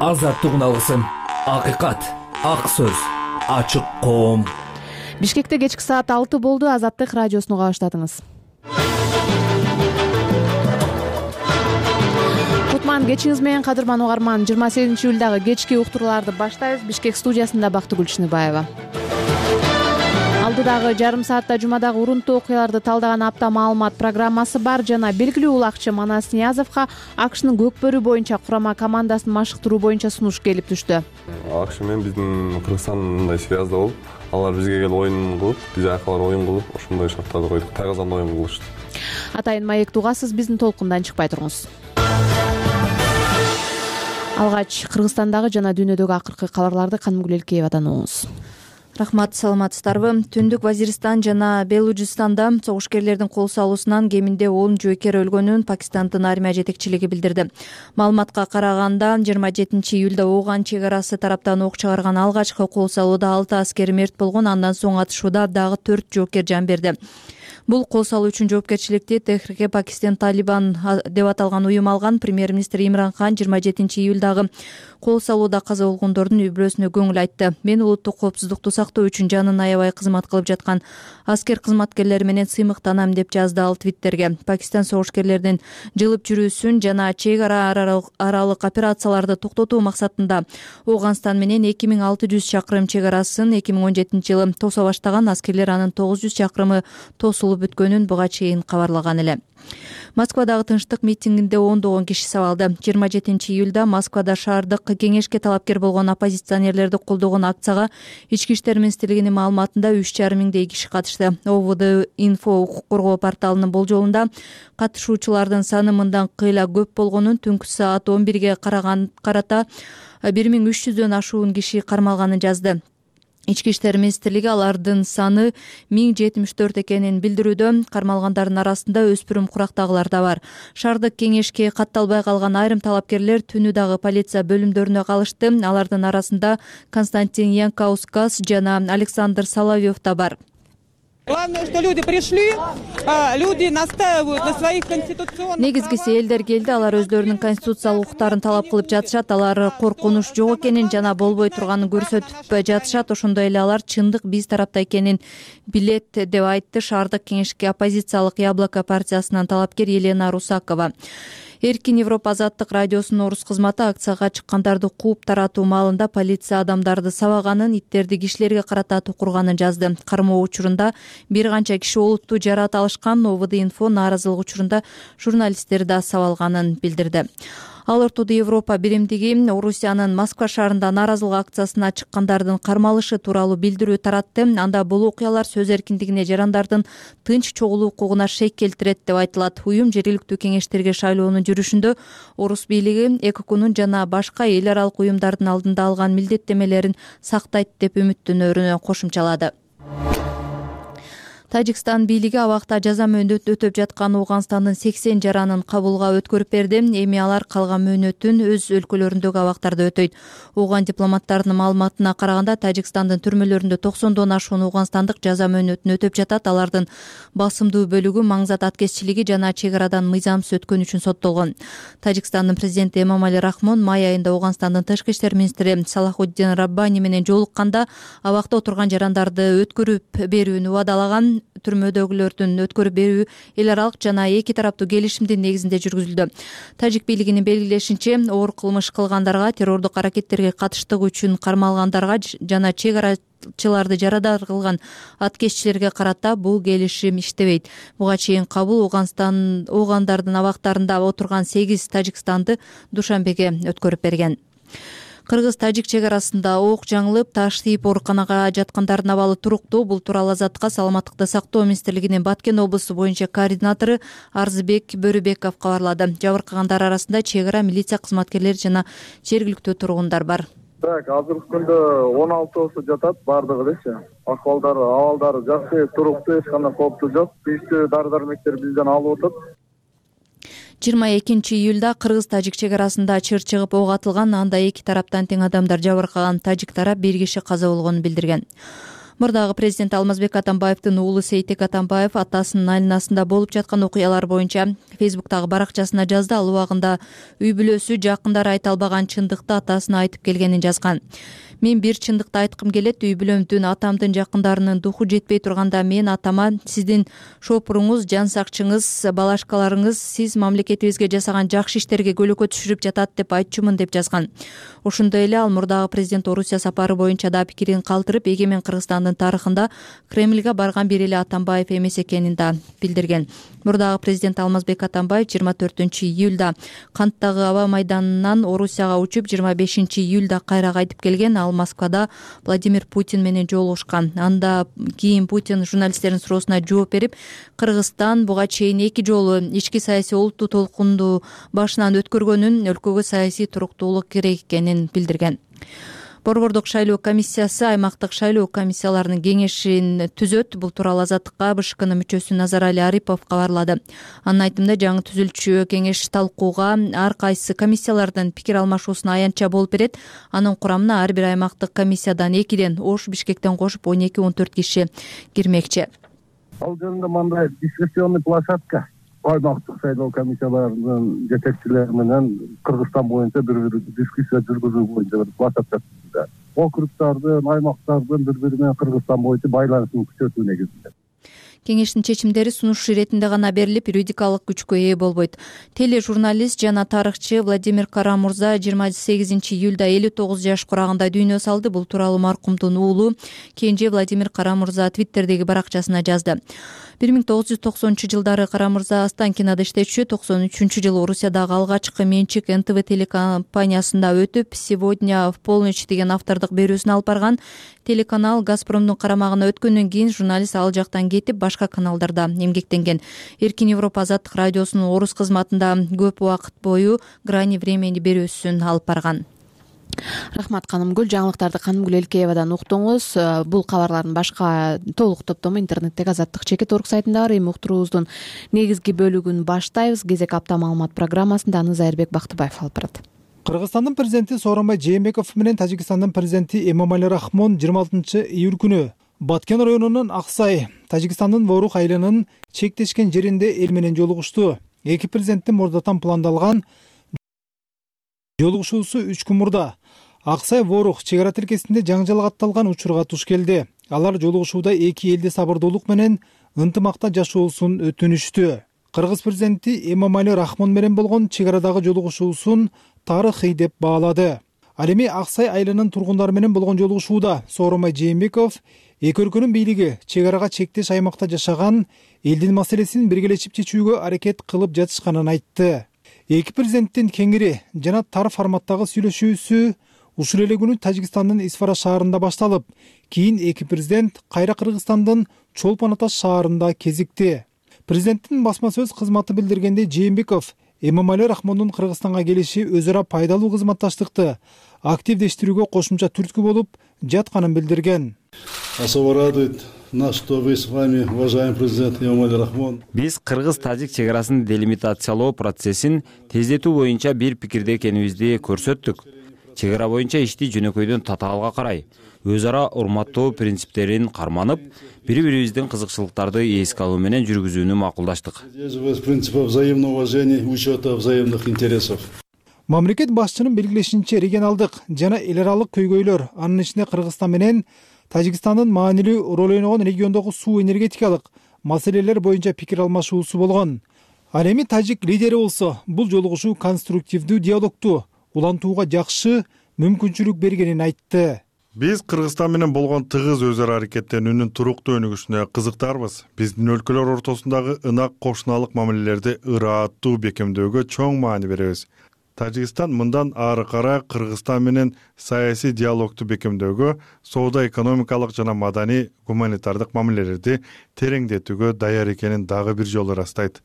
азаттык алгысым, акыйкат, ак сөз, ачык коом. Бишкекте кечки саат 6 болду. Азаттык радиосуну кабаштадыңыз. Кутман кечиңиз менен, кадырман угарман. 28 июлдагы кечки уктурууларды баштайбыз. Бишкек студиясында Бактыгүл Чыныбаева. Алдыдагы жарым саатта жумадагы урунтуу окуяларды талдаган апта маалымат программасы бар жана белгилүү улакчы Манас Ниязовго АКШнын көкбөрү боюнча курама командасын машыктыруу боюнча сунуш келип түштү. АКШ менен биздин Кыргызстандай связда болуп, алар бизге келип оюн кылып, биз акалар оюн кылып, ошондой шарттарды койдук. Тагазан оюн кылышты. Атайын маек тугасыз, биздин толкундан чыкпай туруңуз. Алгач Кыргызстандагы жана дүйнөдөгү акыркы кабарларды Канымгүл Элкеевадан угуңуз. Рахмат, саламатсыздарбы? Түндүк Вазиристан жана Белужистанда согушкерлердин кол салуусунан кеминде 10 жоокер өлгөнүн Пакистандын армия жетекчилиги билдирди. Маалыматка караганда 27 июлда Ооган чек арасы тараптан ок чыгарган алгачкы кол салууда 6 аскер мерт болгон, андан соң атышууда дагы 4 жоокер жан берди. Бул кол салуу үчүн жоопкерчиликти Техрике Пакистан Талибан деп аталган уюм алган. Премьер-министр Имран Хан 27 июлдагы кол салууда каза болгондордун үй бүлөсүнө көңүл айтты. Мен улуттук коопсуздукту сактоо үчүн жанын аябай кызмат кылып жаткан аскер кызматкерлери менен сыймыктанам деп жазды ал Твиттерге. Пакистан согушкерлердин жылып жүрүүсүн жана чек аралык операцияларды токтотуу максатында Ооганстан менен 2600 чакырым чек арасын 2017 жылы тоса баштаган. Аскерлер анын 900 чакырымы тосулуп бүткөнүн буга чейин кабарлаган эле. Москвадагы тынчтык митингинде ондогон киши сабалды. 27 июлда Москвада шаардык кеңешке талапкер болгон оппозиционерлерди колдогон акцияга Ички иштер министрлигинин маалыматында 3,5 миңдей киши катышты. ОВД Инфо укук коргоо порталынын болжолунда катышуучулардын саны мындан кыйла көп болгонун, түнкү саат 11ге карата 1300дөн ашуун киши кармалганын жазды. Ички иштер министрлиги алардын саны 1074 экенин билдирүүдө. Кармалгандардын арасында өспүрүм курактагылар да бар. Шаардык кеңешке катталбай калган айрым талапкерлер түнү дагы полиция бөлүмдөрүнө калышты. Алардын арасында Константин Янкаускас жана Александр Соловьев да бар. Главное, что люди пришли, люди настаивают на своих конституционных. Негизгиси элдер келди, алар өздөрүнүн конституциялык укуктарын талап кылып жатышат. Алар коркунуч жок экенин жана болбой турганын көрсөтүп жатышат. Ошондой эле алар чындык биз тарапта экенин билет деп айтты шаардык кеңешке оппозициялык Яблоко партиясынын талапкер Елена Русакова. Эркин Европа азаттык радиосунун орус кызматы акцияга чыккандарды кууп таратуу маалында полиция адамдарды сабаганын, иттерди кишилерге карата тукурганын жазды. Кармоо учурунда бир канча киши олутту жараат алышкан. ОВД Инфо нааразылык учурунда журналисттерди да сабалганын билдирди. Ал ортодо Европа биримдиги Орусиянын Москва шаарында нааразылык акциясына чыккандардын кармалышы тууралуу билдирүү таратты. Анда бул окуялар сөз эркиндигине, жарандардын тынч чогулуу укугуна шек келтирет деп айтылат. Уюм жергиликтүү кеңештерге шайлоонун жүрүшүндө орус бийлиги ЭКОКунун жана башка эл аралык уюмдардын алдында алган милдеттемелерин сактайт деп үмүттөнөрүн кошумчалады. Тажикстан бийлиги абакта жаза мөөнөт өтөп жаткан Ооганстандын 80 жаранын кабулга өткөрүп берди. Эми алар калган мөөнөтүн өз өлкөлөрүндөгү абактарда өтөйт. Ооган дипломаттарынын маалыматына караганда Тажикстандын түрмөлөрүндө 90дон ашуун ооганстандык жаза мөөнөтүн өтөп жатат. Алардын басымдуу бөлүгү маңзат аткезчилиги жана чек арадан мыйзамсыз өткөн үчүн соттолгон. Тажикстандын президенти Эмомали Рахмон май айында Ооганстандын тышкы иштер министри Салахуддин Раббани менен жолукканда абакта отурган жарандарды өткөрүп берүүнү убадалаган. Түрмөдөгүлөрдүн өткөрүп берүү эл аралык жана эки тараптуу келишимдин негизинде жүргүзүлдү. Тажик бийлигинин белгилешинче, оор кылмыш кылгандарга, террордук аракеттерге катыштыгы үчүн кармалгандарга жана чек арачыларды жарадар кылган аткезчилерге карата бул келишим иштебейт. Буга чейин кабыл Оогандардын абактарында отурган 8 тажикстанды Душанбеге өткөрүп берген. Кыргыз-тажик чек арасында ок жаңылып, таш тийип ооруканага жаткандардын абалы туруктуу. Бул тууралуу Азаттыкка саламаттыкты сактоо министрлигинин Баткен облусу боюнча координатору Арзыбек Бөрүбеков кабарлады. Жабыркагандар арасында чек ара, милиция кызматкерлери жана жергиликтүү тургундар бар. Так, азыркы күндө 16 жатат бардыгы дечи. Абалдары жакшы, туруктуу, эч кандай кооптуу жок. Тийиштүү дары-дармектер бизден алып атат. 22 июлда кыргыз-тажик чек арасында чыр чыгып ок атылган. Анда эки тараптан тең адамдар жабыркаган. Тажик тарап 1 киши каза болгонун билдирген. Мурдагы президент Алмазбек Атамбаевдин уулу Сейтек Атамбаев атасынын айланасында болуп жаткан окуялар боюнча Фейсбуктагы баракчасына жазды. Ал убагында үй бүлөсү, жакындары айта албаган чындыкты атасына айтып келгенин жазган. Мен бир чындыкты айткым келет. Үй бүлөмдүн, атамдын жакындарынын духу жетпей турганда мен атама сиздин шопуруңуз, жан сакчыңыз, балашкаларыңыз сиз мамлекетибизге жасаган жакшы иштерге көлөкө түшүрүп жатат деп айтчумун деп жазган. Ошондой эле ал мурдагы президент Орусия сапары боюнча да пикирин калтырып, эгемен Кыргызстандын тарыхында Кремльге барган бир эле Атамбаев эмес экенин да билдирген. Мурдагы президент Алмазбек Атамбаев 24-июлда Канттагы аба майданынан Орусияга учуп, 25-июлда кайра кайтып келген. Ал Москвада Владимир Путин менен жолугушкан. Анда кийин Путин журналисттердин суроосуна жооп берип, Кыргызстан буга чейин 2 жолу ички саясий олуттуу толкунду башынан өткөргөнүн, өлкөгө саясий туруктуулук керек экенин билдирген. Борбордук шайлоо комиссиясы аймактык шайлоо комиссияларынын кеңешин түзөт. Бул тууралуу Азаттыкка БШКнын мүчөсү Назарали Арипов кабарлады. Анын айтымында жаңы түзүлчү кеңеш талкууга ар кайсы комиссиялардын пикир алмашуусуна аянтча болуп берет. Анын курамына ар бир аймактык комиссиядан 2ден, Ош, Бишкектен кошуп 12-14 киши кирмекчи. Ал жөнүндө мындай дискуссионный площадка аймактык шайлоо комиссияларынын жетекчилери менен Кыргызстан боюнча бир дискуссия жүргүзүү боюнча бир площадка түздү. Округдардын, аймактардын бири-бири менен Кыргызстан боюнча байланышын күчөтүү негизинде. Кеңештин чечимдери сунуш иретинде гана берилип, юридикалык күчкө ээ болбойт. Тележурналист жана тарыхчы Владимир Карамурза 28-июлда 59 жаш курагында дүйнө салды. Бул тууралуу маркумдун уулу кенже Владимир Карамурза Твиттердеги баракчасына жазды. 1990-жылдары Карамурза Останкинада иштечү, 93-жылы Орусиядагы алгачкы менчик НТВ телекомпаниясында өтүп, сегодня в полночь деген автордук берүүсүн алып барган. Телеканал Газпромдун карамагына өткөндөн кийин журналист ал жактан кетип, башка каналдарда эмгектенген. Эркин Европа Азаттык радиосунун орус кызматында көп убакыт бою Грани времени берүүсүн алып барган. Рахмат Канымгүл. Жаңылыктарды Канымгүл Элкеевадан уктуңуз. Бул кабарлардын башка толук топтому интернеттеги Азаттык.org сайтында бар. Эми уктуруубуздун негизги бөлүгүн баштайбыз. Кезек апта маалымат программасында аны Зайырбек Бактыбаев алып барат. Кыргызстандын президенти Сооронбай Жээнбеков менен Тажикстандын президенти Эмомали Рахмон 26-июль күнү Баткен районунун Аксай, Тажикстандын Ворух айылынын чектешкен жеринде эл менен жолугушту. Эки президенттин мурдатан пландалган жолугушуусу 3 күн мурда Аксай Ворух чек ара тилкесинде жаңжал катталган учурга туш келди. Алар жолугушууда эки элде сабырдуулук менен ынтымакта жашоосун өтүнүштү. Кыргыз президенти Эмомали Рахмон менен болгон чек арадагы жолугушуусун тарыхый деп баалады. Ал эми Аксай айылынын тургундары менен болгон жолугушууда Сооронбай Жээнбеков эки өлкөнүн бийлиги чек арага чектеш аймакта жашаган элдин маселесин биргелешип чечүүгө аракет кылып жатышканын айтты. Эки президенттин кеңири жана тар форматтагы сүйлөшүүсү ушул эле күнү Тажикстандын Исфара шаарында башталып, кийин эки президент кайра Кыргызстандын Чолпон Ата шаарында кезикти. Президенттин басма сөз кызматы билдиргендей, Жээнбеков Эмомали Рахмондун Кыргызстанга келиши өз ара пайдалуу кызматташтыкты активдештирүүгө кошумча түрткү болуп жатканын билдирген. Особо радует нас, что вы с вами, уважаемый президент Эмомали Рахмон. Биз кыргыз-тажик чек арасын делимитациялоо процессин тездетүү боюнча бир пикирде экенибизди көрсөттүк. Чек ара боюнча ишти жөнөкөйдөн татаалга карай, өз ара урматтоо принциптерин карманып, бири-бирибиздин кызыкчылыктарды эске алуу менен жүргүзүүнү макулдаштык. Принципов взаимного уважения, учета взаимных интересов. Мамлекет башчынын белгилешинче, регионалдык жана эл аралык көйгөйлөр, анын ичинде Кыргызстан менен Тажикстандын маанилүү роль ойногон региондогу суу энергетикалык маселелер боюнча пикир алмашуусу болгон. Ал эми тажик лидери болсо, бул жолугушуу конструктивдүү диалогту улантууга жакшы мүмкүнчүлүк бергенин айтты. Биз Кыргызстан менен болгон тыгыз өз ара аракеттенүүнүн туруктуу өнүгүшүнө кызыктарбыз. Биздин өлкөлөр ортосундагы ынак кошуналык мамилелерди ырааттуу бекемдөөгө чоң маани беребиз. Тажикстан мындан ары карай Кыргызстан менен саясий диалогту бекемдөөгө, соода экономикалык жана маданий гуманитардык мамилелерди тереңдетүүгө даяр экенин дагы бир жолу ырастайт.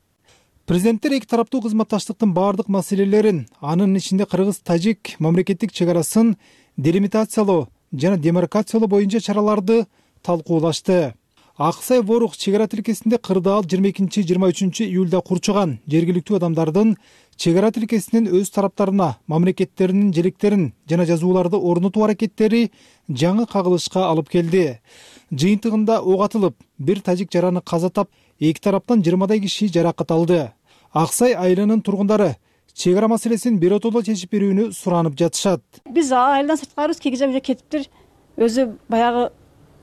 Президенттер эки тараптуу кызматташтыктын баардык маселелерин, анын ичинде кыргыз-тажик мамлекеттик чек арасын делимитациялоо жана демаркациялоо боюнча чараларды талкуулашты. Ак Сай Ворук чек ара тилкесинде кырдаал 22-23 июлда курчуган жергиликтүү адамдардын чек ара тилкесинин өз тараптарына мамлекеттеринин желектерин жана жазууларды орнотуу аракеттери жаңы кагылышка алып келди. Жыйынтыгында ок атылып, бир тажик жараны каза тап, эки тараптан 20дай киши жаракат алды. Ак Сай айылынын тургундары чек ара маселесин биротоло чечип берүүнү суранып жатышат. Биз айылдан сырткарыбыз, кээ кезде кетиптир. Өзү баягы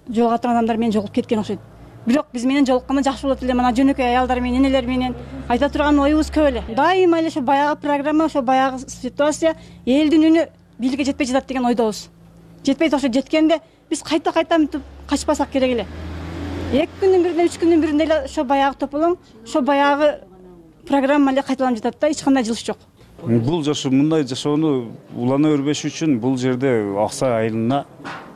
жолуга турган адамдар менен жолугуп кеткен окшойт. Бирок биз менен жолукканда жакшы болот эле. Мына жөнөкөй аялдар менен, энелер менен айта турган оюбуз көп эле. Дайыма эле ошо баягы программа, ошо баягы ситуация элдин үнү бийликке жетпей жатат деген ойдобуз. Жетпей ошо жеткенде биз кайта мынтип качпасак керек эле. 2 күндүн биринде, 3 күндүн биринде эле ошо баягы тополоң, ошо баягы программа эле кайталанып жатат да, эч кандай жылыш жок. Бул жашоо, мындай жашоону улана өрбөш үчүн бул жерде Ак Сай айылына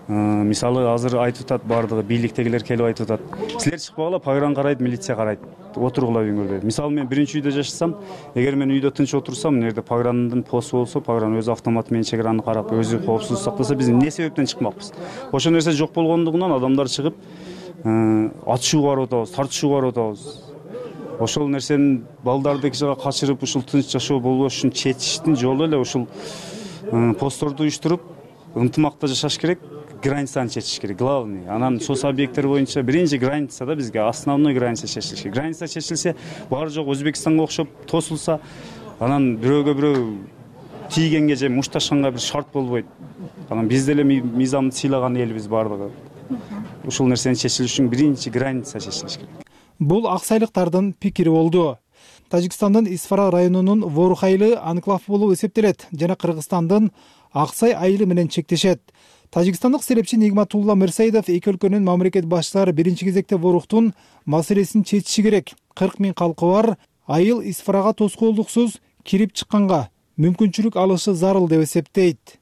мисалы азыр айтып атат, баардыгы бийликтегилер келип айтып атат. Силер чыкпагыла, погран карайт, милиция карайт. Отургула үйүңөрдө. Мисалы мен биринчи үйдө жашасам, эгер мен үйдө тынч отурсам, мына жерде пограндын посту болсо, погран өз автоматы менен чек араны карап, өзү коопсуздук сактаса, биз эмне себептен чыкмакпыз? Ошол нерсе жок болгондугунан адамдар чыгып, атышууга барып атабыз, тартышууга барып атабыз. Ошол нерсени балдарды эки жакка качырып, ушул тынч жашоо болбош үчүн чечиштин жолу эле ушул постторду уюштуруп, ынтымакта жашаш керек. Границаны чечиш керек, главный. Анан сос объекттер боюнча биринчи границада бизге основной граница чечилиш керек. Граница чечилсе, баары жок Өзбекстанга окшоп тосулса, анан бирөөгө бирөө тийгенге же мушташканга бир шарт болбойт. Анан биз деле мыйзамды сыйлаган элбиз баардыгы. Ушул нерсени чечилиш үчүн биринчи граница чечилиш керек. Бул аксайлыктардын пикири болду. Тажикстандын Исфара районунун Ворук айылы анклав болуп эсептелет жана Кыргызстандын Ак Сай айылы менен чектешет. Тажикстандык серепчи Нигматулла Мирсаидов эки өлкөнүн мамлекет башчылары биринчи кезекте Воруктун маселесин чечиши керек. 40 000 калкы бар айыл Исфарага тоскоолдуксуз кирип чыкканга мүмкүнчүлүк алышы зарыл деп эсептейт.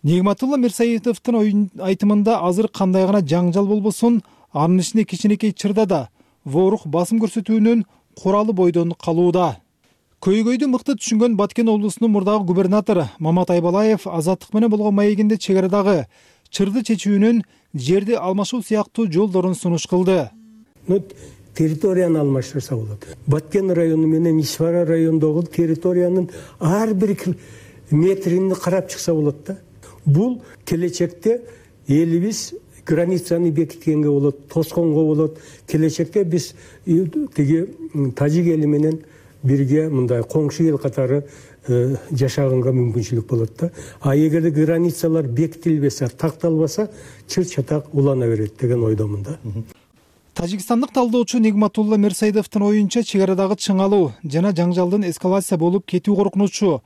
Нигматулла Мирсаидовдун айтымында азыр кандай гана жаңжал болбосун, анын ичинде кичинекей чырда да Ворук басым көрсөтүүнүн куралы бойдон калууда. Көйгөйдү мыкты түшүнгөн Баткен облусунун мурдагы губернатору Мамат Айбалаев азаттык менен болгон маегинде чек арадагы чырды чечүүнүн жерди алмашуу сыяктуу жолдорун сунуш кылды. Территорияны алмаштырса болот. Баткен району менен Исфара районундагы территориянын ар бир метрин карап чыкса болот да. Бул келечекте элибиз границаны бекиткенге болот, тосконго болот. Келечекте биз тиги тажик эли менен бирге мындай коңшу эл катары жашаганга мүмкүнчүлүк болот да. А эгерде границалар бекитилбесе, такталбаса, чыр-чатак улана берет деген ойдомун да. Тажикстандык талдоочу Нигматулла Мирсаидовдун оюнча чек арадагы чыңалуу жана жаңжалдын эскалация болуп кетүү коркунучу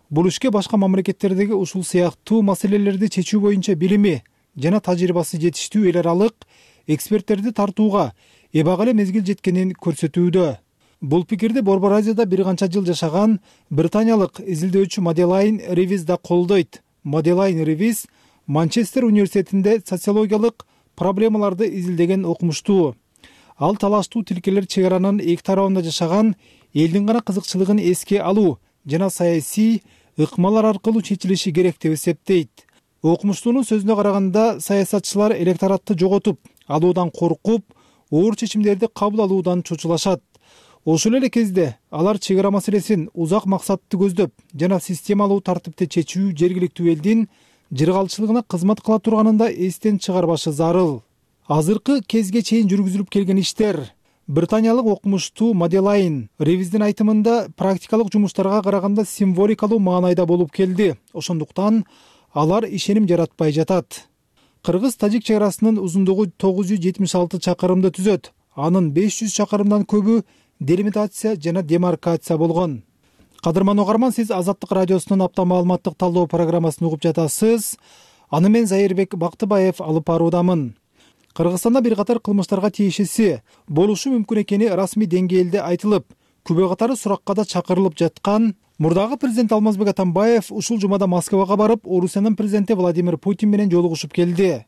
бул ишке башка мамлекеттердеги ушул сыяктуу маселелерди чечүү боюнча билими жана тажрыйбасы жетиштүү эл аралык эксперттерди тартууга эбак эле мезгил жеткенин көрсөтүүдө. Бул пикирди Борбор Азияда бир канча жыл жашаган британиялык изилдөөчү Маделайн Ривиз да колдойт. Маделайн Ривиз Манчестер университетинде социологиялык проблемаларды изилдеген окумуштуу. Ал талаштуу тилкелер чек аранын эки тарабында жашаган элдин гана кызыкчылыгын эске алуу жана саясий ыкмалар аркылуу чечилиши керек деп эсептейт. Окумуштуунун сөзүнө караганда, саясатчылар электоратты жоготуп алуудан коркуп, оор чечимдерди кабыл алуудан чочулашат. Ошол эле кезде алар чек ара маселесин узак максатты көздөп жана системалуу тартипте чечүү жергиликтүү элдин жыргалчылыгына кызмат кыла турганын да эстен чыгарбашы зарыл. Азыркы кезге чейин жүргүзүлүп келген иштер британиялык окумуштуу Маделайн Ривиздин айтымында практикалык жумуштарга караганда символикалуу маанайда болуп келди. Ошондуктан алар ишеним жаратпай жатат. Кыргыз-тажик чек арасынын узундугу 976 чакырымды түзөт. Анын 500 чакырымдан көбү делимитация жана демаркация болгон. Кадырман угарман, сиз Азаттык радиосунун апта маалыматтык талдоо программасын угуп жатасыз. Аны мен Зайырбек Бактыбаев алып баруудамын. Кыргызстанда бир катар кылмыштарга тиешеси болушу мүмкүн экени расмий деңгээлде айтылып, күбө катары суракка да чакырылып жаткан мурдагы президент Алмазбек Атамбаев ушул жумада Москвага барып, Орусиянын президенти Владимир Путин менен жолугушуп келди.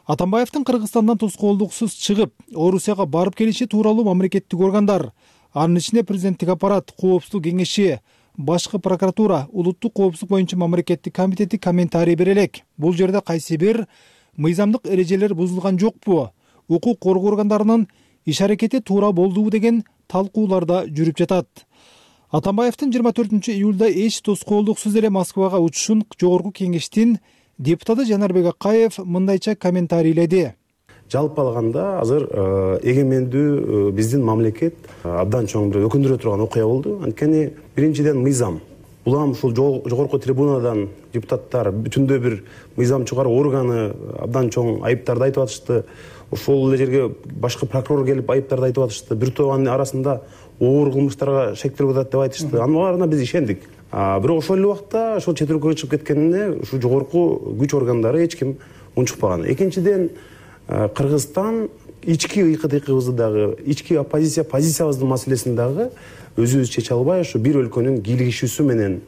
Атамбаевдин Кыргызстандан тоскоолдуксуз чыгып, Орусияга барып келиши тууралуу мамлекеттик органдар, анын ичинде президенттик аппарат, коопсуздук кеңеши, башкы прокуратура, улуттук коопсуздук боюнча мамлекеттик комитети комментарий бере элек. Бул жерде кайсы бир мыйзамдык эрежелер бузулган жокпу? укук коргоо органдарынын иш аракети туура болдубу деген талкуулар да жүрүп жатат. Атамбаевдин 24-июлда эч тоскоолдуксуз эле Москвага учушун жогорку кеңештин депутаты Жанарбек Акаев мындайча комментарийледи. Жалпы алганда азыр эгемендүү биздин мамлекет абдан чоң бир өкүндүрө турган окуя болду. Анткени биринчиден мыйзам. Улам ушул жогорку трибунадан депутаттар бүтүндөй бир мыйзам чыгаруу органы абдан чоң айыптарды айтып атышты. Ошол эле жерге башкы прокурор келип айыптарды айтып атышты. Бир топ арасында оор кылмыштарга шектелип атат деп айтышты. Анын баарына биз ишендик. Бирок ошол эле убакта ошол чет өлкөгө чыгып кеткенине ушу жогорку күч органдары эч ким унчукпаган. Экинчиден, Кыргызстан ички ыйкы-тыйкыбызды дагы, ички позициябыздын маселесин дагы өзүбүз чече албай, ошо бир өлкөнүн кийлигишүүсү менен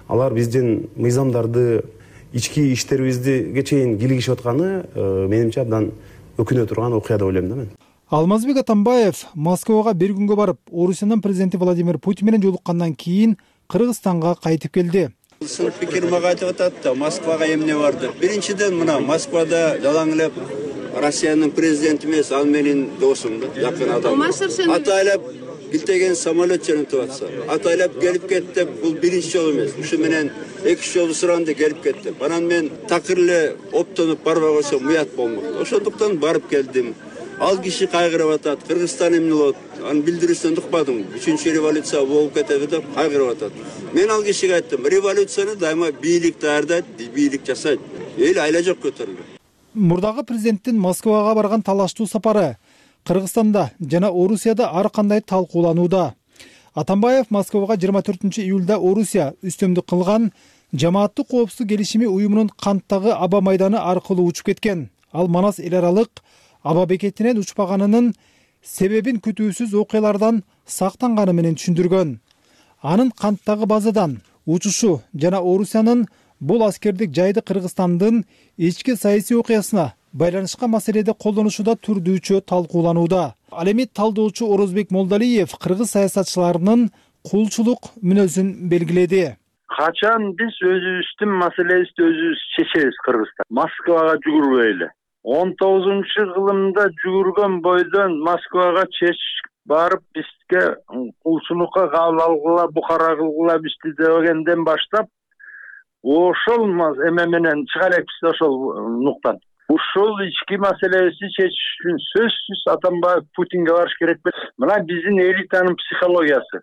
алар биздин мыйзамдарды, ички иштерибизге чейин кийлигишип атканы менимче абдан өкүнө турган окуя деп ойлойм да мен. Алмазбек Атамбаев Москвага бир күнгө барып, Орусиянын президенти Владимир Путин менен жолуккандан кийин Кыргызстанга кайтып келди. Сынып пикир мага айтып атат да, Москвага эмне барды? Биринчиден мына Москвада жалаң эле Россиянын президенти эмес, ал менин досум да, жакын адам. Атайлап билтеген самолет жөнөтүп атса, атайлап келип кетти, бул биринчи жолу эмес. Ушу менен экинчи жолу суранды келип кетти. Анан мен такыр эле оптонуп барбай койсом уят болмок. Ошондуктан барып келдим. Ал киши кайгырып атат, Кыргызстан эмне болот? Анын билдирүүсүнөн укпадым. 3-чү революция болуп кетеби деп кайгырып атат. Мен ал кишиге айттым, революцияны дайыма бийлик даярдайт, бийлик жасайт. Эл айла жок көтөрүлгөн. Мурдагы президенттин Москвага барган талаштуу сапары Кыргызстанда жана Орусияда ар кандай талкууланууда. Атамбаев Москвага 24-июлда Орусия үстөмдүк кылган жамааттык коопсуздук келишими уюмунун канттагы аба майданы аркылуу учуп кеткен. Ал Манас эл аралык аба бекетинен учпаганынын себебин күтүүсүз окуялардан сактанганы менен түшүндүргөн. Анын канттагы базадан учушу жана Орусиянын бул аскердик жайды Кыргызстандын ички саясий окуясына байланышкан маселеде колдонушуда түрдүүчө талкууланууда. Ал эми талдоочу Орозбек Молдалиев кыргыз саясатчыларынын кулчулук мүнөзүн белгиледи. Качан биз өзүбүздүн маселебизди өзүбүз чечебиз Кыргызстан. Москвага жүгүрбөй эле. 19-кылымда жүгүргөн бойдон Москвага чечип барып бизге кулчулукка кабыл алгыла, букара кылгыла бизди дегенден баштап ошол эме менен чыга элекпиз ошол нуктан. Ушул ички маселебизди чечиш үчүн сөзсүз Атамбаев Путинге барыш керек. Мына биздин элитанын психологиясы.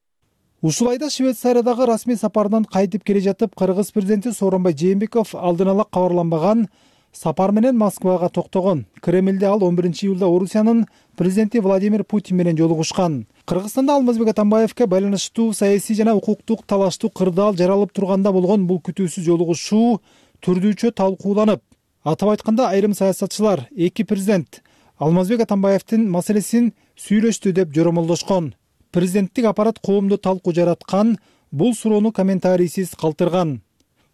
Ушул айда Швейцариядагы расмий сапарынан кайтып келе жатып, Кыргыз президенти Сооронбай Жээнбеков алдын ала кабарланбаган сапар менен Москвага токтогон. Кремлде ал 11-июлда Орусиянын президенти Владимир Путин менен жолугушкан. Кыргызстанда Алмазбек Атамбаевке байланыштуу саясий жана укуктук талаштуу кырдаал жаралып турганда болгон бул күтүүсүз жолугушуу түрдүүчө талкууланып, атап айтканда айрым саясатчылар эки президент Алмазбек Атамбаевдин маселесин сүйлөштү деп жоромолдошкон. Президенттик аппарат коомдо талкуу жараткан, бул суроону комментарийсиз калтырган.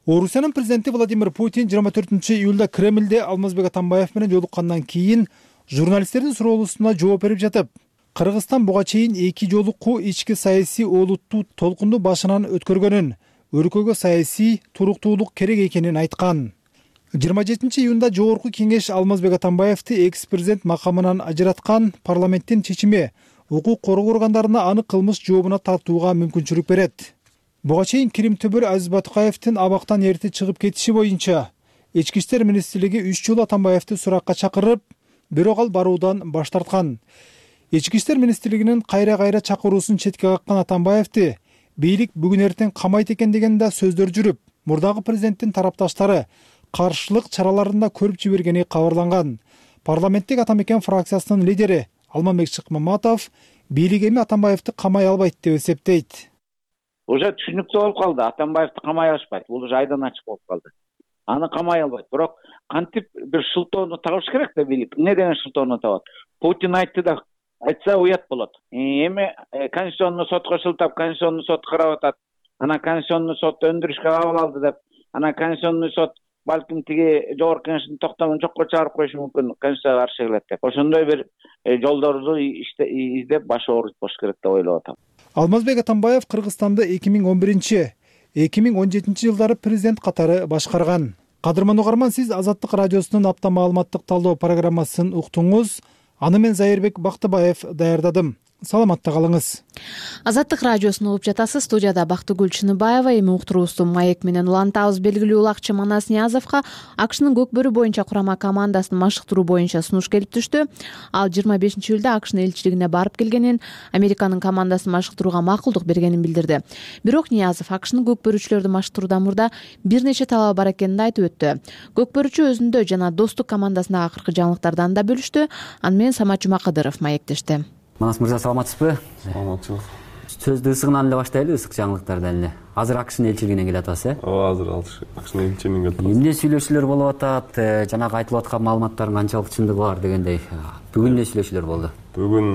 Орусиянын президенти Владимир Путин 24-июлда Кремлде Алмазбек Атамбаев менен жолуккандан кийин журналисттердин суроолоруна жооп берип жатып, Кыргызстан буга чейин эки жолуку ички саясий олуттуу толкунду башынан өткөргөнүн, өлкөгө саясий туруктуулук керек экенин айткан. 27-июнда жогорку кеңеш Алмазбек Атамбаевди экс-президент макамынан ажыраткан. Парламенттин чечими укук коргоо органдарына аны кылмыш жообуна тартууга мүмкүнчүлүк берет. Буга чейин Кирим Төбөр Азиз Батыкаевдин абактан эрте чыгып кетиши боюнча Ички иштер министрлиги 3 жолу Атамбаевди суракка чакырып, бирок ал баруудан баш тарткан. Ички иштер министрлигинин кайра чакыруусун четке каккан Атамбаевди бийлик бүгүн эртең камайт экен деген да сөздөр жүрүп, мурдагы президенттин тарапташтары каршылык чараларында көрүп жибергени кабарланган. Парламенттик Ата Мекен фракциясынын лидери Алмамбек Шыкмаматов бийлик эми Атамбаевди камай албайт деп эсептейт. Уже түшүнүктүү болуп калды. Атамбаевди камай алышпайт. Бул уже айдан ачык болуп калды. Аны камай албайт. Бирок кантип бир шылтоону табыш керек да бийлик. Эмне деген шылтоону табат? Путин айтты да, айтса уят болот. Эми Конституционный сотко шылтап, Конституционный сот карап атат. Ана Конституционный сот өндүрүшкө кабыл алды деп, ана Конституционный сот балким тиги жогорку кеңештин токтомун жокко чыгарып коюшу мүмкүн, Конституцияга каршы келет деп. Ошондой бир жолдорду издеп баш оорутпош керек деп ойлоп атам. Алмазбек Атамбаев Кыргызстанды 2011-2017 жылдары президент катары башкарган. Кадырман угарман, сиз Азаттык радиосунун апта маалыматтык талдоо программасын уктуңуз. Аны мен Зайырбек Бактыбаев даярдадым. Саламатта калыңыз. Азаттык радиосун угуп жатасыз. Студияда Бактыгүл Чыныбаева, эми уктуруубузду маек менен улантабыз. Белгилүү улакчы Манас Ниязовго АКШнын көкбөрү боюнча курама командасын машыктыруу боюнча сунуш келип түштү. Ал 25-июлда АКШнын элчилигине барып келгенин, Американын командасын машыктырууга макулдук бергенин билдирди. Бирок Ниязов АКШнын көкбөрүчүлөрдү машыктыруудан мурда бир нече талабы бар экенин айтып өттү. Көкбөрүчү өзүндө жана достук командасындагы акыркы жаңылыктардан да бөлүштү. Аны менен Самат Жумакадыров маектешти. Манас мырза, саламатсызбы? Саламатчылык. Сөздү ысыгынан эле баштайлы, ысык жаңылыктардан эле. Азыр АКШнын элчилигине келип атасыз, э? Ооба, азыр АКШнын элчилигине келип атабыз. Эмне сүйлөшүүлөр болуп атат? Жанагы айтылып аткан маалыматтардын канчалык чындыгы бар дегендей. Бүгүн эмне сүйлөшүүлөр болду? Бүгүн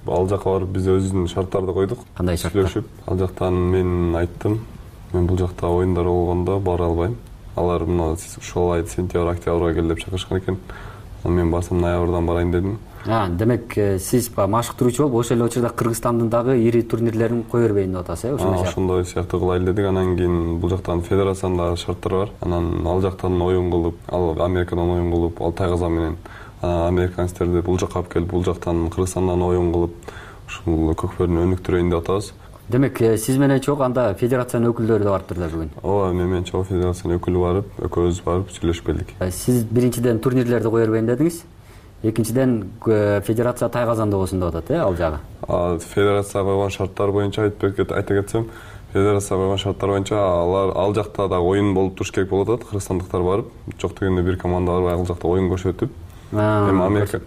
ал жака барып биз өзүбүздүн шарттарды койдук. Кандай шарттар? Сүйлөшүп, ал жактан мен айттым, мен бул жакта оюндар болгондо бара албайм. Алар мына ушул ай сентябрь, октябрга кел деп чакырышкан экен. Мен барсам ноябрдан барайын дедим. Демек сиз машыктыруучу болуп ошол эле учурда Кыргызстандын дагы ири турнирлерин кое бербейин деп атасыз, э? Ошондой сыяктуу кылайлы дедик. Анан кийин бул жактан федерациянын дагы шарттары бар. Анан ал жактан оюн кылып, ал Америкадан оюн кылып, ал Тайгазан менен американецтерди бул жакка алып келип, бул жактан Кыргызстандан оюн кылып, ушул көкбөрүнү өнүктүрөйүн деп атабыз. Демек сиз менен чогуу анда федерациянын өкүлдөрү да барыптыр да бүгүн? Ооба, мен менен чогуу федерациянын өкүлү барып, экөөбүз барып сүйлөшүп келдик. Сиз биринчиден турнирлерди кое бербейин дедиңиз. Экинчиден федерация Тайгазанда болсун деп атат, э, ал жагы. Федерация койгон шарттар боюнча айта кетсем, федерация койгон шарттар боюнча ал жакта дагы оюн болуп туруш керек болуп атат. Кыргызстандыктар барып, жок дегенде бир команда барып, ал жакта оюн көрсөтүп, эми Америка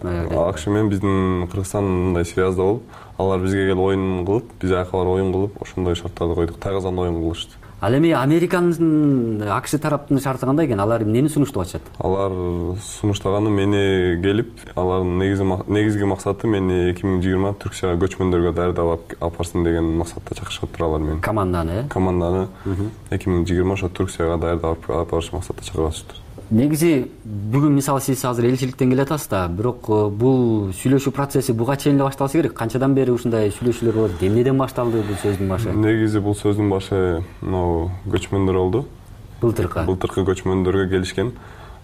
АКШ менен биздин Кыргызстан мындай связда болуп, алар бизге келип оюн кылып, биз аяка барып оюн кылып, ошондой шарттарды койдук. Тайгазанда оюн кылышты. Ал эми Американын АКШ тараптын шарты кандай экен? Алар эмнени сунуштап атышат? Алар сунуштаганы мени келип, алардын негизги максаты мени 2020 Түркияга көчмөндөргө даярдап алып барсын деген максатта чакырышып алар мени. Команданы, э? Команданы 2020 ошо Түркияга даярдап алып барыш максатта чакырышыптыр. Негизи бүгүн мисалы сиз азыр элчиликтен келе атасыз да, бирок бул сүйлөшүү процесси буга чейин эле башталса керек. Канчадан бери ушундай сүйлөшүүлөр болот? Эмнеден башталды бул сөздүн башы? Негизи бул сөздүн башы могу көчмөндөр болду. Былтыркы көчмөндөргө келишкен.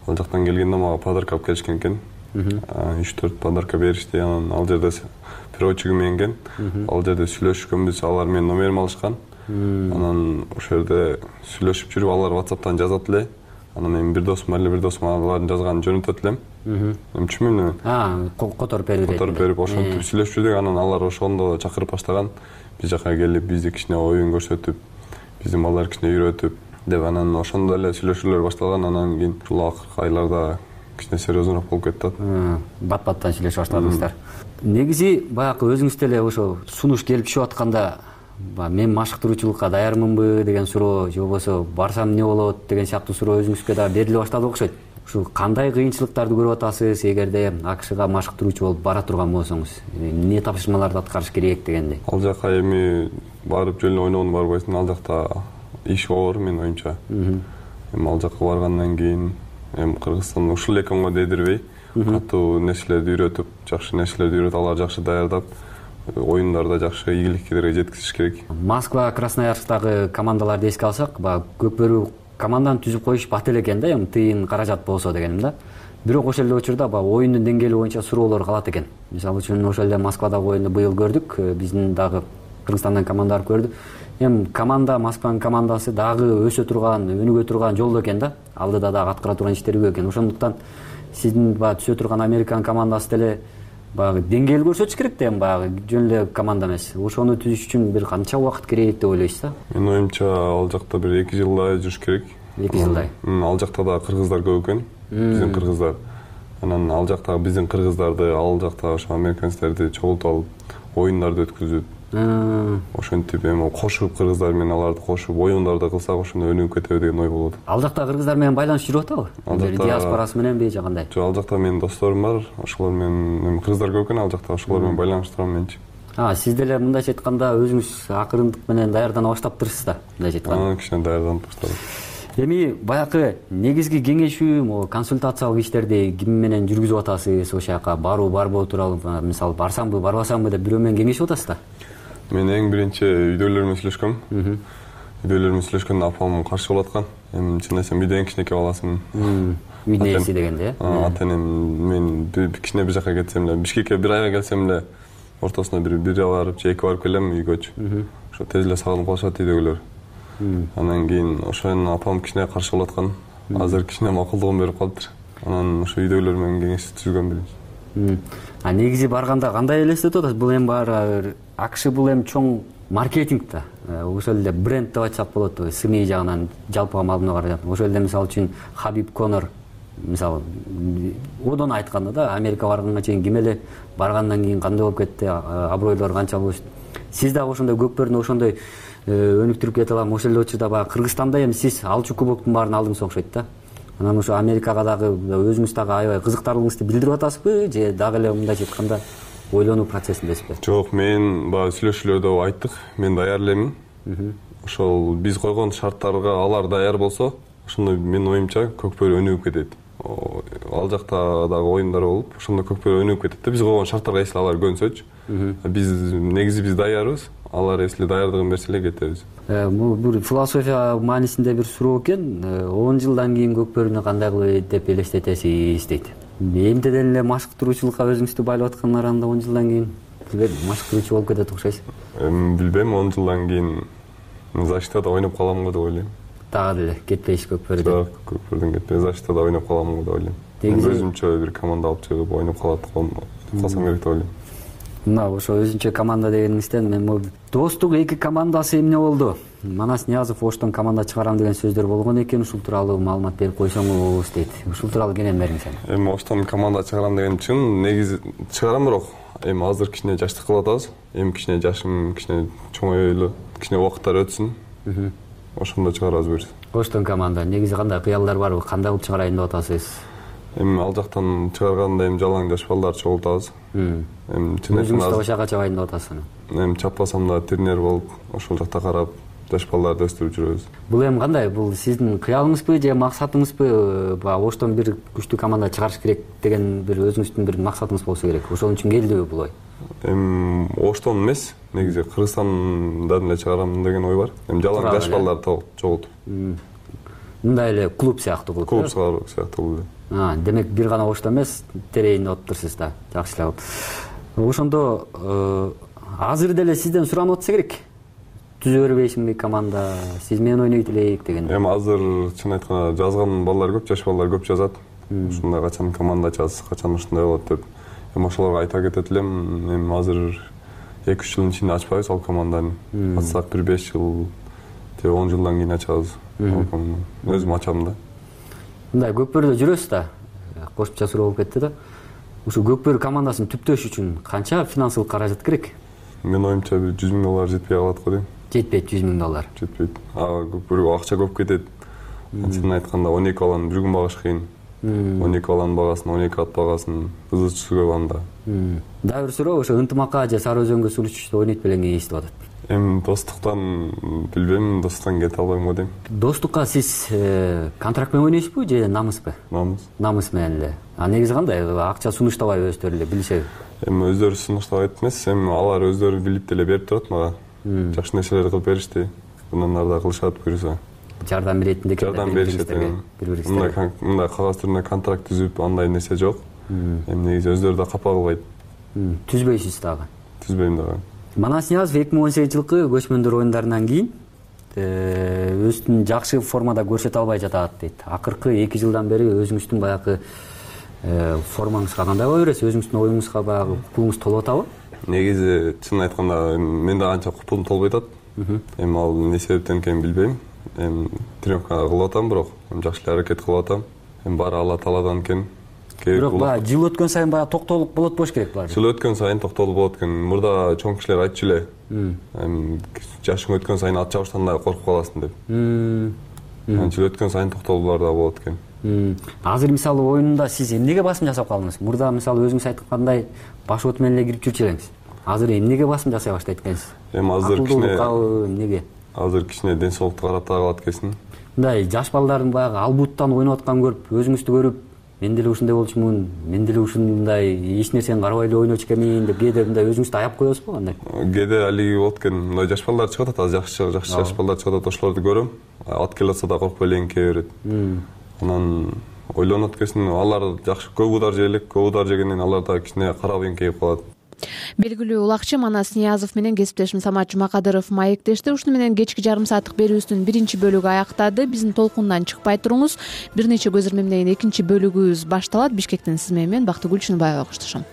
Ал жактан келгенде мага подарка алып келишкен экен. 3-4 подарка беришти. Анан ал жерде переводчигим менген. Ал жерде сүйлөшкөнбүз, алар менин номеримди алышкан. Анан ошол жерде сүйлөшүп жүрүп, алар WhatsApp'тан жазат эле. Анан эми бир досум алардын жазганын жөнөтөт элем. Эми түшүнбөйм мен. Которуп берип, ошентип сүйлөшүп жүрдүк. Анан алар ошондо чакырып баштаган. Биз жака келип, бизди кичине оюн көрсөтүп, биздин балдар кичине үйрөтүп деп, анан ошондо эле сүйлөшүүлөр башталган. Анан кийин ушул акыркы айларда кичине серьезнорук болуп кетти. Бат-баттан сүйлөшүп баштадыңыздар. Негизи баягы өзүңүз деле ошо сунуш келип түшүп атканда, мен машыктыруучулукка даярмынбы деген суроо, же болбосо барсам эмне болот деген сыяктуу суроо өзүңүзгө да бериле баштады окшойт. Ушул кандай кыйынчылыктарды көрүп атасыз эгерде АКШга машыктыруучу болуп бара турган болсоңуз? Эмне тапшырмаларды аткарыш керек дегендей? Ал жака эми барып жөн эле ойногону барбайсың. Ал жакта иш оор, менин оюмча. Эми ал жака баргандан кийин эми Кыргызстан ушул эле экенго дедирбей, катуу нерселерди үйрөтүп, жакшы нерселерди үйрөтүп, алар жакшы даярдап, оюндарда жакшы ийгиликтерге жеткизиш керек. Москва, Красноярскдагы командаларды эске алсак, көкбөрү команданы түзүп коюш бат эле экен да, эми тыйын каражат болсо дегеним да. Бирок ошол эле учурда оюндун деңгээли боюнча суроолор калат экен. Мисалы үчүн ошол эле Москвадагы оюнду быйыл көрдүк, биздин дагы Кыргызстандан команда барып көрдү. Эми команда, Москванын командасы дагы өсө турган, өнүгө турган жолдо экен да. Алдыда дагы аткара турган иштери көп экен. Ошондуктан сиздин түсө турган Американын командасы деле деңгээлди көрсөтүш керек да, эми жөн эле команда эмес. Ошону түзүш үчүн бир канча убакыт керек деп ойлойсуз да? Менин оюмча ал жакта бир 2 жылдай жүрүш керек. 2 жылдай. Ал жакта да кыргыздар көп экен, биздин кыргыздар. Анан ал жактагы биздин кыргыздарды, ал жактагы ошо американецтерди чогултуп алып, оюндарды өткүзүп, ошентип эми кошуп кыргыздар менен аларды кошуп оюндарды кылсак ошондо өнүгүп кетеби деген ой болот. Ал жакта кыргыздар менен байланыш жүрүп атабы? Диаспорасы мененби же кандай? Жок, ал жакта менин досторум бар, ошолор менен кыргыздар көп экен, ал жакта ошолор менен байланышып турам менчи. Сиз деле мындайча айтканда өзүңүз акырындык менен даярдана баштаптырсыз да, мындайча айтканда. Кичине даярданып баштадым. Эми баягы негизги кеңешүү, консультациялык иштерди ким менен жүргүзүп атасыз? Ошол жака баруу барбоо тууралуу, мисалы барсамбы, барбасамбы деп бирөө менен кеңешип атасыз да? Мен эң биринчи үйдөйлөрүмө сүйлөшкөм. Үйдөйлөрүмө сүйлөшкөндө апам каршы болуп аткан. Эми чын десем үйдө эң кичинекей баласымын. үйдүн ээси дегенде ата энем мен кичине бир жака кетсем эле Бишкекке бир айга келсем эле ортосуна бир барып же 2 барып келем үйгөчү. Ошо тез эле сагынып калышат үйдөгүлөр. Анан кийин ошон апам кичине каршы болуп аткан. Азыр кичине макулдугун берип калыптыр. Анан ошо үйдөгүлөр менен кеңеш түзгөн биринчи. Негизи барганда кандай элестетип атасыз? Бул эми баары АКШ бул эми чоң маркетинг да. Ошол эле бренд деп айтсак болот. СМИ жагынан жалпыга маалымат каражат. Ошол эле мисалы үчүн Хабиб Конор мисалы одон айтканда да Америка барганга чейин ким эле баргандан кийин кандай болуп кетти, абройлор канча болушту. Сиз дагы ошондой көкпөрдү ошондой өнүктүрүп кете алам. Ошол эле учурда баягы Кыргызстанда эми сиз алчу кубоктун баарын алдыңыз окшойт да. Анан ошо Америкага дагы өзүңүз дагы аябай кызыктарлыгыңызды билдирип атасызбы же дагы эле мындайча айтканда ойлонуу процессиндесизби? Жок, мен баягы сүйлөшүүлөрдө айттык. Мен даяр элемин. Ошол биз койгон шарттарга алар даяр болсо, ошондо менин оюмча көкпөр өнүгүп кетет. Ал жакта дагы оюндар болуп, ошондо көкпөр өнүгүп кетет да. Биз койгон шарттарга эсли алар көнсөчү. Биз негизи биз даярбыз. Алар эсли даярдыгын берсе эле кетебиз. Бул бир философия маанисинде бир суроо экен. 10 жылдан кийин көкпөрүнү кандай кылып деп элестетесиз дейт. Эмнеден эле машыктыруучулукка өзүңүздү байлап аткандар анда 10 жылдан кийин машыктыруучу болуп кетет окшойсуз. Билбейм, 10 жылдан кийин защитада ойноп калам го деп ойлойм. Дагы деле кетпейсиз көкпөрдөн. Көкпөрдөн кетпей защитада ойноп калам го деп ойлойм. Өзүмчө бир команда алып чыгып ойноп калсам керек деп ойлойм. Мына ошо өзүнчө команда дегениңизден мен могу достук эки командасы эмне болду? Манас Ниязов Оштон команда чыгарам деген сөздөр болгон экен. Ушул тууралуу маалымат берип койсоңуз дейт. Ушул тууралуу кенен бериңиз. Эми Оштон команда чыгарам деген чын, негизи чыгарам, бирок эми азыр кичине жаштык кылып атабыз. Эми кичине жашым кичине чоңойлу, кичине убакыттар өтсүн. Ошондо чыгарабыз буюрса. Оштон команда негизи кандай кыялдар барбы? Кандай кылып чыгарайын деп атасыз? Эми ал жактан чыгарганда эми жалаң жаш балдар чогултабыз. Эми өзүңүз да ошого чабайын деп атасыз. Эми чаппасам да тренер болуп, ошол жакта карап жаш балдарды өстүрүп жүрөбүз. Бул эми кандай? Бул сиздин кыялыңызбы же максатыңызбы? Оштон бир күчтүү команда чыгарыш керек деген бир өзүңүздүн бир максатыңыз болсо керек. Ошол үчүн келдиби бул ой? Эми Оштон эмес, негизи Кыргызстандан эле чыгарам деген ой бар. Эми жалаң жаш балдарды чогултуп. Мындай эле клуб сыяктуу кылып. Клуб сыяктуу. Демек бир гана Оштон эмес, терейин деп атыптырсыз да. Жакшы эле. Ошондо азыр деле сизден суранып атса керек. Түзө бербейсиңби команда? Сиз менен ойнойт элек деген. Эми азыр чын айтканда жазган балдар көп, жаш балдар көп жазат. Ушундай качан команда ачасыз, качан ушундай болот деп. Эми ошолорго айта кетет элем. Эми азыр 2-3 жылдын ичинде ачпайбыз ал команданы. Ачсак бир 5 жыл же 10 жылдан кийин ачабыз. Өзүм ачам да. Мындай көкпөрдө жүрөсүз да. Кошумча суроо болуп кетти да. Ушул көкпөр командасын түптөш үчүн канча финансылык каражат керек? Мен оюмча бир $100,000 жетпей калат го дейм. Жетпейт $100,000. Жетпейт. Көкпөргө акча көп кетет. Чынын айтканда 12 баланы бир күн багыш кыйын. 12 баланын багасын, 12 ат багасын ызычысы көп анда. Дагы бир суроо, ошо Ынтымакка же Сары Өзөнгө суу ичиште ойнойт белеңи эстип атат. Эми достуктан билбейм, достуктан кете албайм го дейм. Достукка сиз контракт менен ойнойсузбу же намыспы? Намыс. Намыс менен эле. Негизи кандай? Акча сунуштабай өздөрү эле билишеби? Эми өздөрү сунуштабайт эмес, эми алар өздөрү билип деле берип турат мага. Жакшы нерселерди кылып беришти. Андан ары да кылышат буюрса. Жардам беретиндик. Жардам беришет. Мындай кагаз түрүндө контракт түзүп, андай нерсе жок. Эми негизи өздөрү да капа кылбайт. Түзбөйсүз дагы? Түзбөйм дагы. Манас Ниязов 2018-жылкы көчмөндөр оюндарынан кийин өзүн жакшы формада көрсөтө албай жатат дейт. Акыркы 2 жылдан бери өзүңүздүн баягы формаңызга кандай боло бересиз? Өзүңүздүн оюңузга баягы купуңуз толуп атабы? Негизи чын айтканда мен да анча купум толбой атат. Эми ал эмне себептен экенин билбейм. Эми тренировка кылып атам, бирок жакшы эле аракет кылып атам. Эми баары Алла тааладан экен. Бирок баягы жыл өткөн сайын баягы токтолуп болот болуш керек булар. Жыл өткөн сайын токтолуп болот экен. Мурда чоң кишилер айтчу эле. Эми жашың өткөн сайын ат чабыштан коркуп каласың деп. Жыл өткөн сайын токтолуулар да болот экен. Азыр мисалы оюнда сиз эмнеге басым жасап калдыңыз? Мурда мисалы өзүңүз айткандай баш от менен эле кирип жүрчү элеңиз. Азыр эмнеге басым жасай баштайт экенсиз? Эми азыр кичине эмнеге? Азыр кичине ден соолукту карап калат экенсиң. Мындай жаш балдардын баягы албуттан ойноп атканын көрүп, өзүңүздү көрүп, мен деле ушундай болчумун, мен деле ушундай эч нерсени карабай эле ойночу экенмин деп кээде мындай өзүңүздү аяп коесузбу кандай? Кээде алиги болот экен. Мындай жаш балдар чыгып атат, жакшы жаш балдар чыгып атат, ошолорду көрөм. Ат келе атса да коркпой эле эңкее берет. Анан ойлонот экенсиң, алар жакшы көп удар жейлик, көп удар жегенден алар да кичине карап эңкейип калат. Белгилүү улакчы Манас Ниязов менен кесиптешим Самат Жумакадыров маектешти. Ушуну менен кечки жарым сааттык берүүбүздүн биринчи бөлүгү аяктады. Биздин толкундан чыкпай туруңуз. Бир нече көзөрмө менен экинчи бөлүгүбүз башталат. Бишкектен сиз менен Бактыгүл Чыныбаева коштошом.